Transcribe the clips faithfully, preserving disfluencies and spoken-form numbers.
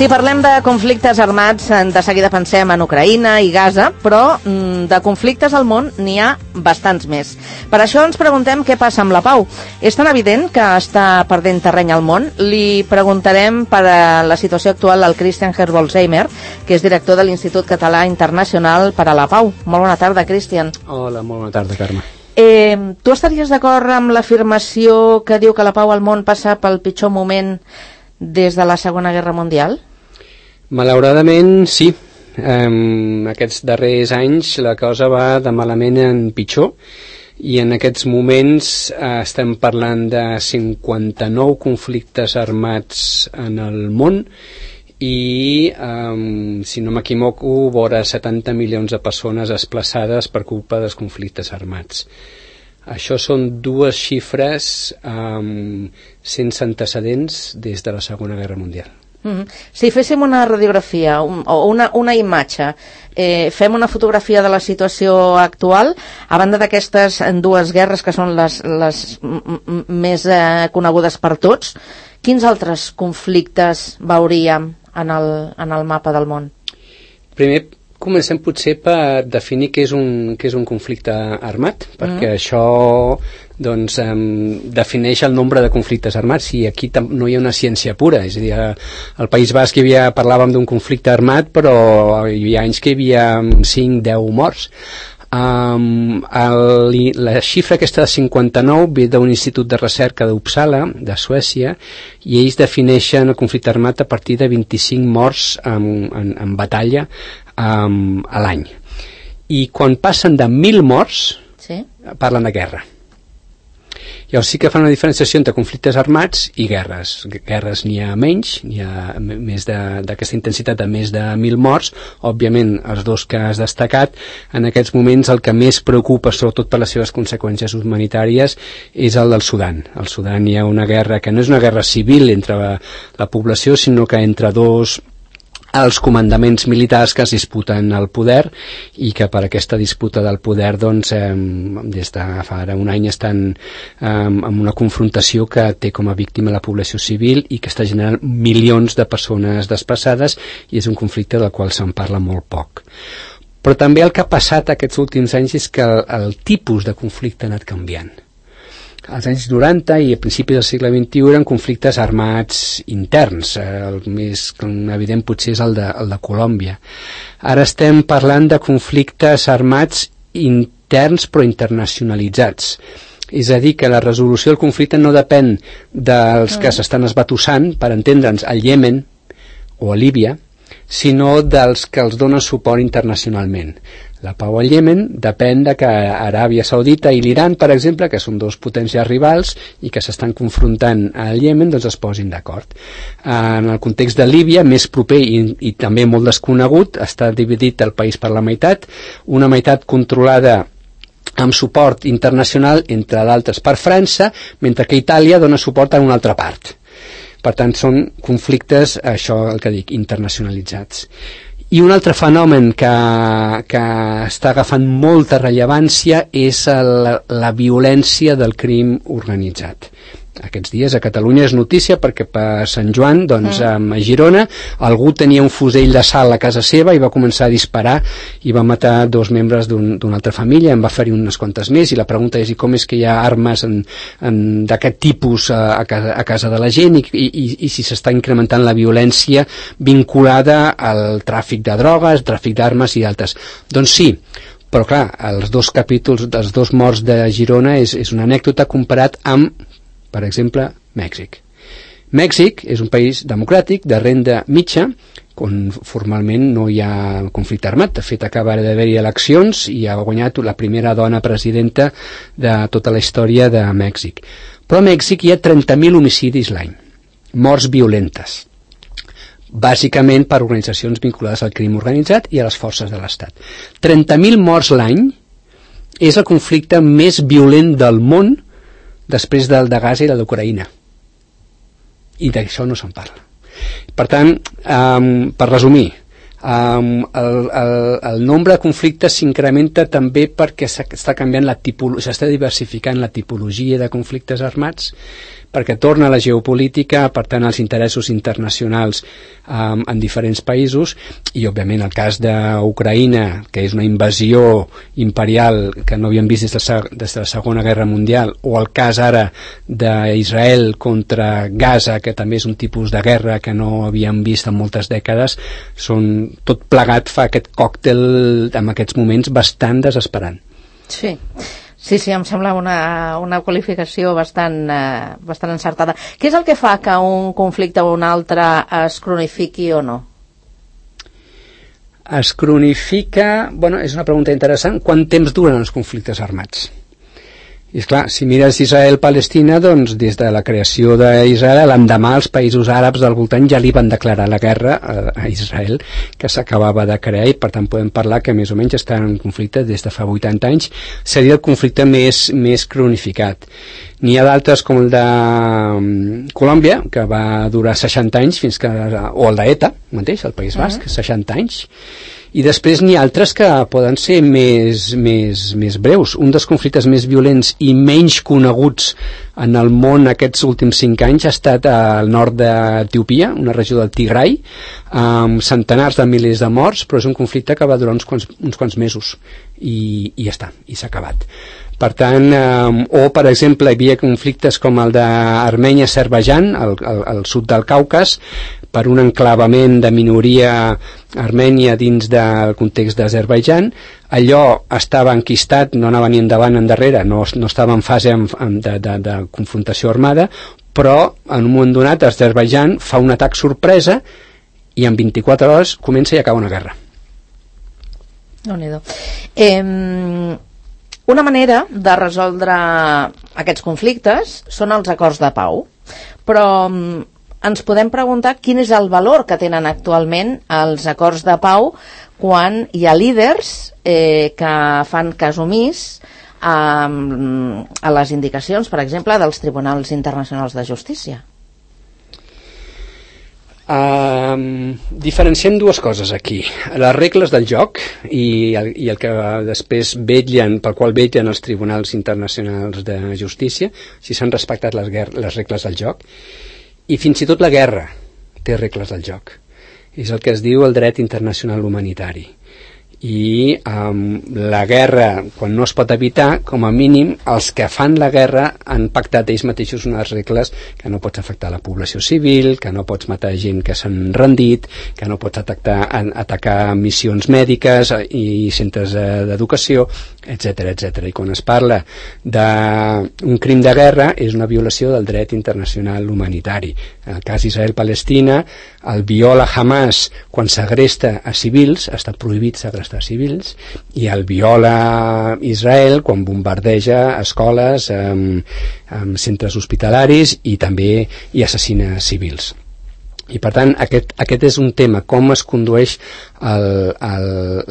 Si parlem de conflictes armats, de seguida pensem en Ucraïna i Gaza, però de conflictes al món n'hi ha bastants més. Per això ens preguntem què passa amb la pau. És tan evident que està perdent terreny al món? Li preguntarem per la situació actual al Christian Herbolzheimer, que és director de l'Institut Català Internacional per a la Pau. Molt bona tarda, Christian. Hola, molt bona tarda, Carme. Eh, tu estaries d'acord amb l'afirmació que diu que la pau al món passa pel pitjor moment des de la Segona Guerra Mundial? Malauradament, sí. Um, aquests darrers anys la cosa va de malament en pitjor i en aquests moments uh, estem parlant de cinquanta-nou conflictes armats en el món i, um, si no m'equivoco, vora setanta milions de persones desplaçades per culpa dels conflictes armats. Això són dues xifres um, sense antecedents des de la Segona Guerra Mundial. Mm-hmm. Si féssim una radiografia un, o una, una imatge, eh, fem una fotografia de la situació actual, a banda d'aquestes dues guerres que són les, les m- m- més eh, conegudes per tots, quins altres conflictes veuríem en el, en el mapa del món? Primer, comencem potser per definir què és un, què és un conflicte armat, perquè mm. això doncs, um, defineix el nombre de conflictes armats i aquí tam- no hi ha una ciència pura, és a dir, al País Basc hi havia, parlàvem d'un conflicte armat, però hi havia anys que hi havia cinc deu morts. Um, el, la xifra aquesta de cinquanta-nou ve d'un institut de recerca d'Uppsala, de Suècia, i ells defineixen el conflicte armat a partir de vint-i-cinc morts en, en, en batalla um, a l'any. I quan passen de mil morts, sí? Parlen de guerra. Llavors sí que fan una diferenciació entre conflictes armats i guerres. Guerres n'hi ha menys, n'hi ha més d'aquesta intensitat de més de mil morts. Òbviament, els dos que has destacat, en aquests moments el que més preocupa, sobretot per les seves conseqüències humanitàries, és el del Sudan. Al Sudan hi ha una guerra que no és una guerra civil entre la, la població, sinó que entre dos els comandaments militars que es disputen el poder i que per aquesta disputa del poder doncs, eh, des de fa ara un any estan eh, en una confrontació que té com a víctima la població civil i que està generant milions de persones desplaçades i és un conflicte del qual se'n parla molt poc. Però també el que ha passat aquests últims anys és que el, el tipus de conflicte ha anat canviant. Als anys noranta i a principis del segle vint-i-u eren conflictes armats interns, el més evident potser és el de, el de Colòmbia. Ara estem parlant de conflictes armats interns però internacionalitzats. És a dir, que la resolució del conflicte no depèn dels que s'estan esbatussant, per entendre'ns, al Iemen o a Líbia, sinó dels que els donen suport internacionalment. La pau al Iemen depèn de que Aràbia Saudita i l'Iran, per exemple, que són dos potències rivals i que s'estan confrontant al Iemen, doncs es posin d'acord. En el context de Líbia, més proper i, i també molt desconegut, està dividit el país per la meitat, una meitat controlada amb suport internacional, entre d'altres per França, mentre que Itàlia dona suport a una altra part. Per tant, són conflictes, això el que dic, internacionalitzats. I un altre fenomen que, que està agafant molta rellevància és el, la violència del crim organitzat. Aquests dies a Catalunya és notícia perquè per Sant Joan, doncs, mm. a Girona, algú tenia un fusell de sal a casa seva i va començar a disparar i va matar dos membres d'una un, altra família, en va ferir unes quantes més, i la pregunta és i com és que hi ha armes d'aquest tipus a, a, casa, a casa de la gent i, i, i si s'està incrementant la violència vinculada al tràfic de drogues, tràfic d'armes i d'altres. Doncs sí, però clar, els dos capítols dels dos morts de Girona és, és una anècdota comparat amb, per exemple, Mèxic. Mèxic és un país democràtic de renda mitja, on formalment no hi ha conflicte armat. De fet, acaba d'haver-hi eleccions i ha guanyat la primera dona presidenta de tota la història de Mèxic. Però a Mèxic hi ha trenta mil homicidis l'any, morts violentes, bàsicament per organitzacions vinculades al crim organitzat i a les forces de l'Estat. trenta mil morts l'any és el conflicte més violent del món després del de Gaza i la d'Ucraïna. I d'això no se'n parla. Per tant, um, per resumir, Um, el, el, el nombre de conflictes s'incrementa també perquè s'està canviant la tipologia, s'està diversificant la tipologia de conflictes armats, perquè torna a la geopolítica, per tant als interessos internacionals um, en diferents països, i òbviament el cas d'Ucraïna, que és una invasió imperial que no havíem vist des de, des de la Segona Guerra Mundial, o el cas ara d'Israel contra Gaza, que també és un tipus de guerra que no havíem vist en moltes dècades, són, tot plegat fa aquest còctel en aquests moments bastant desesperant. Sí. Sí, sí, em sembla una, una qualificació bastant, eh, bastant encertada. Què és el que fa que un conflicte o un altre es cronifiqui o no? Es cronifica... Bueno, és una pregunta interessant. Quant temps duren els conflictes armats? I esclar, si mires Israel-Palestina, doncs des de la creació d'Israel, l'endemà els països àrabs del voltant ja li van declarar la guerra a Israel, que s'acabava de crear, i per tant podem parlar que més o menys estan en conflicte des de fa vuitanta anys. Seria el conflicte més, més cronificat. N'hi ha d'altres com el de Colòmbia, que va durar seixanta anys, fins que, o el d'ETA, mateix, el País Basc, seixanta anys. I després n'hi ha altres que poden ser més, més, més breus. Un dels conflictes més violents i menys coneguts en el món aquests últims cinc anys ha estat al nord d'Etiòpia, una regió del Tigray, amb centenars de milers de morts, però és un conflicte que va durar uns quants, uns quants mesos i, i ja està, i s'ha acabat. Per tant, eh, o per exemple hi havia conflictes com el d'Armènia-Azerbaidjan al, al, al sud del Caucas, per un enclavament de minoria armènia dins del context d'Azerbaidjan. Allò estava enquistat, no anava ni endavant ni endarrere, no, no estava en fase de, de, de confrontació armada, però en un moment donat Azerbaidjan fa un atac sorpresa i en vint-i-quatre hores comença i acaba una guerra. Déu-n'hi-do. Eh, una manera de resoldre aquests conflictes són els acords de pau, però ens podem preguntar quin és el valor que tenen actualment els acords de pau quan hi ha líders eh, que fan cas omís a, a les indicacions, per exemple, dels tribunals internacionals de justícia. Um, diferenciem dues coses aquí: les regles del joc i el, i el que després vetllen, pel qual vetllen els tribunals internacionals de justícia, si s'han respectat les, les regles del joc. I fins i tot la guerra té regles del joc. És el que es diu el dret internacional humanitari. I um, la guerra, quan no es pot evitar, com a mínim els que fan la guerra han pactat ells mateixos unes regles, que no pots afectar la població civil, que no pots matar gent que s'han rendit, que no pots atacar, atacar missions mèdiques i centres d'educació, etcètera, etcètera. I quan es parla d'un crim de guerra és una violació del dret internacional humanitari. En el cas Israel-Palestina, el viola Hamas quan segresta a civils, està prohibit segrestar civils, i el viola Israel quan bombardeja escoles, amb, amb centres hospitalaris i també hi assassina civils. I per tant aquest, aquest és un tema, com es condueix el, el,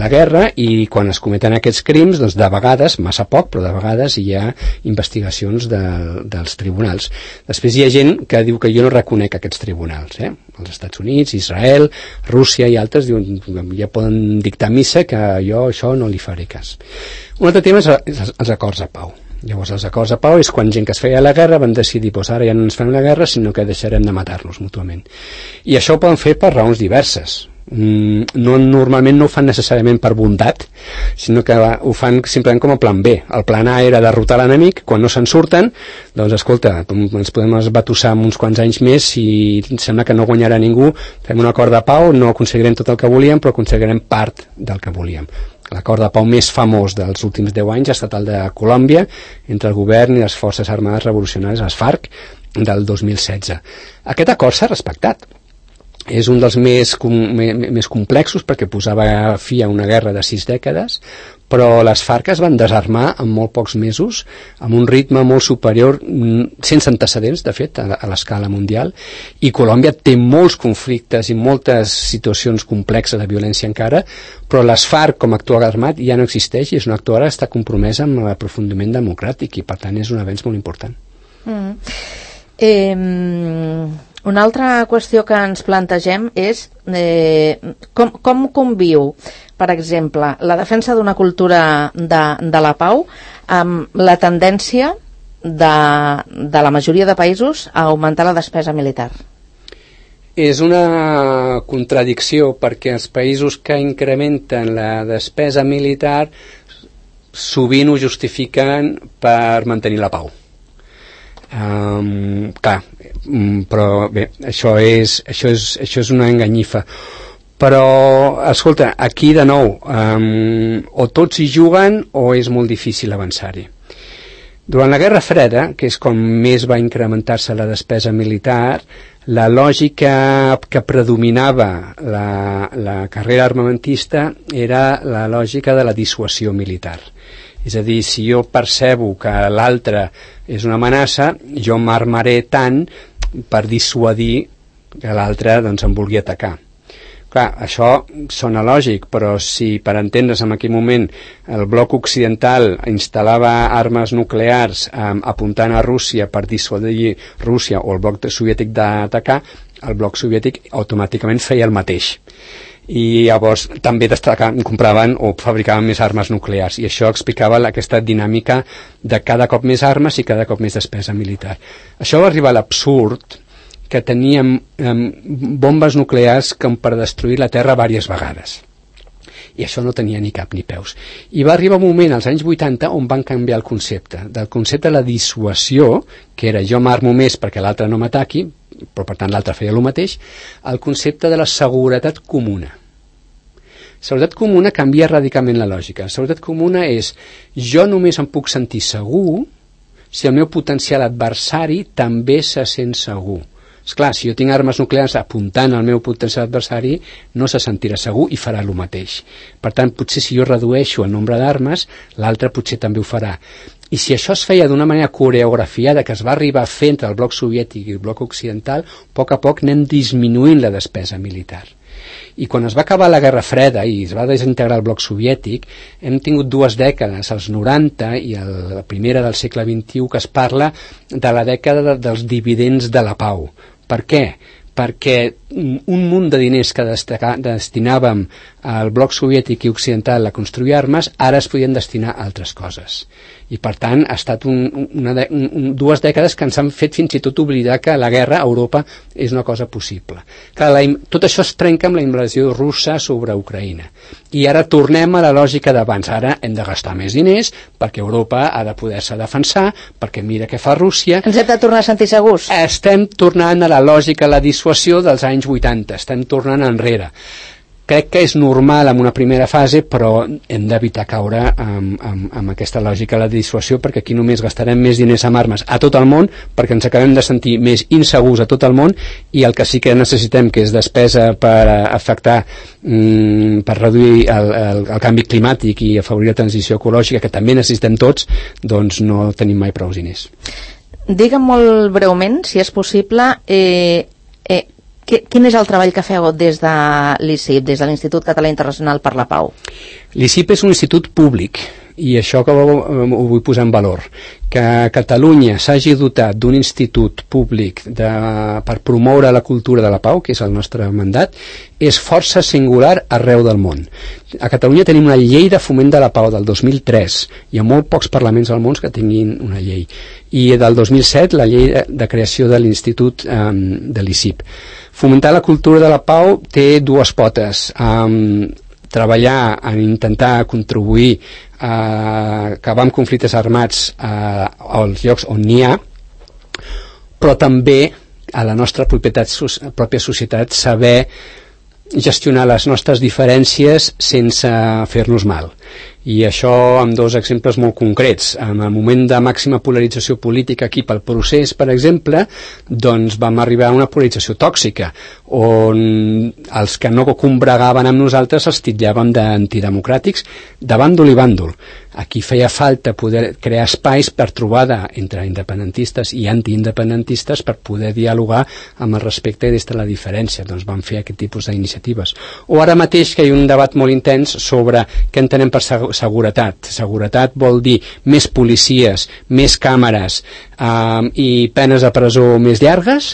la guerra, i quan es cometen aquests crims, doncs de vegades, massa poc, però de vegades hi ha investigacions de, dels tribunals. Després hi ha gent que diu que jo no reconec aquests tribunals, eh? Els Estats Units, Israel, Rússia i altres diuen, ja poden dictar missa que jo això no li faré cas. Un altre tema és els, els acords de pau. Llavors els acords de pau és quan gent que es feia la guerra van decidir, doncs ara ja no ens fem la guerra, sinó que deixarem de matar-nos mútuament. I això ho poden fer per raons diverses. Mm, no, normalment no ho fan necessàriament per bondat, sinó que ho fan simplement com a plan B. El plan A era derrotar l'enemic, quan no se'n surten, doncs escolta, ens podem esbatussar uns quants anys més i sembla que no guanyarà ningú, fem un acord de pau, no aconseguirem tot el que volíem, però aconseguirem part del que volíem. L'acord de pau més famós dels últims deu anys ha estat el de Colòmbia entre el govern i les forces armades revolucionàries, les FARC, del dos mil setze. Aquest acord s'ha respectat. És un dels més, com, més complexos perquè posava fi a una guerra de sis dècades, però les FARC es van desarmar en molt pocs mesos, amb un ritme molt superior, sense antecedents, de fet, a, a l'escala mundial, i Colòmbia té molts conflictes i moltes situacions complexes de violència encara, però les FARC com a actor armat ja no existeix i és un actor ara que està compromès amb l'aprofundiment democràtic i per tant és un avenç molt important. Mm. Eh... Una altra qüestió que ens plantegem és eh, com, com conviu, per exemple, la defensa d'una cultura de, de la pau amb la tendència de, de la majoria de països a augmentar la despesa militar? És una contradicció, perquè els països que incrementen la despesa militar sovint ho justifiquen per mantenir la pau. Um, clar, però bé, això és, això és, això és una enganyifa. Però, escolta, aquí de nou, um, o tots hi juguen o és molt difícil avançar-hi. Durant la Guerra Freda, que és com més va incrementar-se la despesa militar, la lògica que predominava la, la carrera armamentista era la lògica de la dissuasió militar. És a dir, si jo percebo que l'altre és una amenaça, jo m'armaré tant per dissuadir que l'altre doncs, em vulgui atacar. Clar, això sona lògic, però si per entendre's en aquell moment el bloc occidental instal·lava armes nuclears eh, apuntant a Rússia per dissuadir Rússia o el bloc soviètic d'atacar, el bloc soviètic automàticament feia el mateix. I llavors també compraven o fabricaven més armes nuclears, i això explicava aquesta dinàmica de cada cop més armes i cada cop més despesa militar. Això va arribar a l'absurd que teníem eh, bombes nuclears com per destruir la Terra diverses vegades. I això no tenia ni cap ni peus. I va arribar un moment, als anys vuitanta, on van canviar el concepte. Del concepte de la dissuasió, que era jo m'armo més perquè l'altre no m'ataqui, però per tant l'altre feia el mateix, al concepte de la seguretat comuna. Seguretat comuna canvia radicalment la lògica. Seguretat comuna és jo només em puc sentir segur si el meu potencial adversari també se sent segur. Esclar, si jo tinc armes nuclears apuntant al meu potencial adversari, no se sentirà segur i farà el mateix. Per tant, potser si jo redueixo el nombre d'armes, l'altre potser també ho farà. I si això es feia d'una manera coreografiada, que es va arribar a fer entre el bloc soviètic i el bloc occidental, a poc a poc anem disminuint la despesa militar. I quan es va acabar la Guerra Freda i es va desintegrar el bloc soviètic, hem tingut dues dècades, els noranta i el, la primera del segle vint-i-u, que es parla de la dècada de, dels dividends de la pau. Per què? Perquè un munt de diners que destaca, destinàvem al bloc soviètic i occidental a construir armes, ara es podien destinar a altres coses. I per tant ha estat un, una de, un, dues dècades que ens han fet fins i tot oblidar que la guerra a Europa és una cosa possible. Que la, tot això es trenca amb la invasió russa sobre Ucraïna. I ara tornem a la lògica d'abans. Ara hem de gastar més diners perquè Europa ha de poder-se defensar, perquè mira què fa Rússia. Ens hem de tornar a sentir segurs? Estem tornant a la lògica, a la dissuasió dels anys vuitanta. Estem tornant enrere. Crec que és normal en una primera fase, però hem d'evitar caure amb, amb, amb aquesta lògica de la dissuasió, perquè aquí només gastarem més diners amb armes a tot el món, perquè ens acabem de sentir més insegurs a tot el món, i el que sí que necessitem, que és despesa per afectar, mm, per reduir el, el, el canvi climàtic i afavorir la transició ecològica, que també necessitem tots, doncs no tenim mai prou diners. Digue'm molt breument, si és possible, eh, eh, quin és el treball que feu des de l'I C I P, des de l'Institut Català Internacional per la Pau? L'I C I P és un institut públic, i això que ho, ho vull posar en valor, que Catalunya s'hagi dotat d'un institut públic de, per promoure la cultura de la pau, que és el nostre mandat, és força singular arreu del món. A Catalunya tenim una llei de foment de la pau del dos mil tres, hi ha molt pocs parlaments al món que tinguin una llei, i del dos mil set la llei de, de creació de l'Institut um, de l'I C I P. Fomentar la cultura de la pau té dues potes. Um, treballar en intentar contribuir a acabar amb conflictes armats a, als llocs on n'hi ha, però també a la nostra propietat, pròpia societat saber gestionar les nostres diferències sense fer-nos mal. I això amb dos exemples molt concrets. En el moment de màxima polarització política aquí pel procés, per exemple, doncs vam arribar a una polarització tòxica, on els que no combregaven amb nosaltres els titllàvem d'antidemocràtics de bàndol i bàndol. Aquí feia falta poder crear espais per trobada entre independentistes i antiindependentistes per poder dialogar amb el respecte des de la diferència. Doncs vam fer aquest tipus d'iniciatives. O ara mateix que hi ha un debat molt intens sobre què entenem per seguretat. Seguretat vol dir més policies, més càmeres, um, i penes de presó més llargues,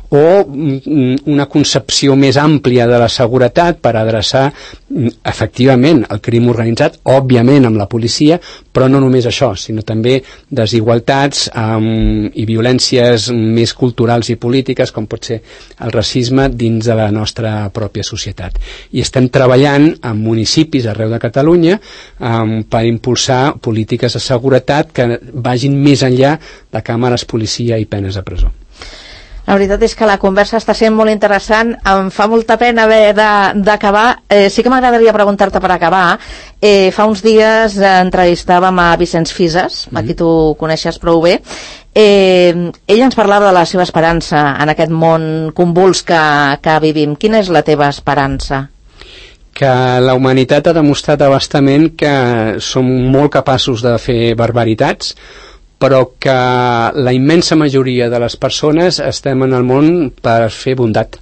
o um, una concepció més àmplia de la seguretat per adreçar um, efectivament el crim organitzat, òbviament amb la policia, però no només això, sinó també desigualtats um, i violències més culturals i polítiques, com pot ser el racisme dins de la nostra pròpia societat. I estem treballant en municipis arreu de Catalunya um, per impulsar polítiques de seguretat que vagin més enllà de càmeres, policia i penes de presó. La veritat és que la conversa està sent molt interessant, em fa molta pena haver d'acabar. Eh, sí que m'agradaria preguntar-te per acabar. Eh, fa uns dies eh, entrevistàvem a Vicenç Fisas, mm-hmm. a qui tu coneixes prou bé. Eh, ell ens parlava de la seva esperança en aquest món convuls que, que vivim. Quina és la teva esperança? Que la humanitat ha demostrat abastament que som molt capaços de fer barbaritats, però que la immensa majoria de les persones estem en el món per fer bondat,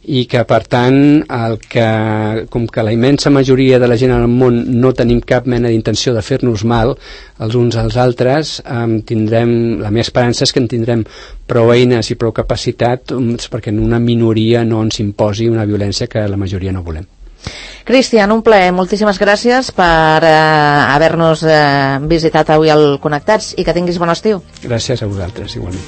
i que per tant el que, com que la immensa majoria de la gent en el món no tenim cap mena d'intenció de fer-nos mal els uns als altres, eh, tindrem, la meva esperança és que en tindrem prou eines i prou capacitat perquè en una minoria no ens imposi una violència que la majoria no volem. Cristian, un plaer, moltíssimes gràcies per eh, haver-nos eh, visitat avui al Connectats i que tinguis bon estiu. Gràcies a vosaltres, igualment.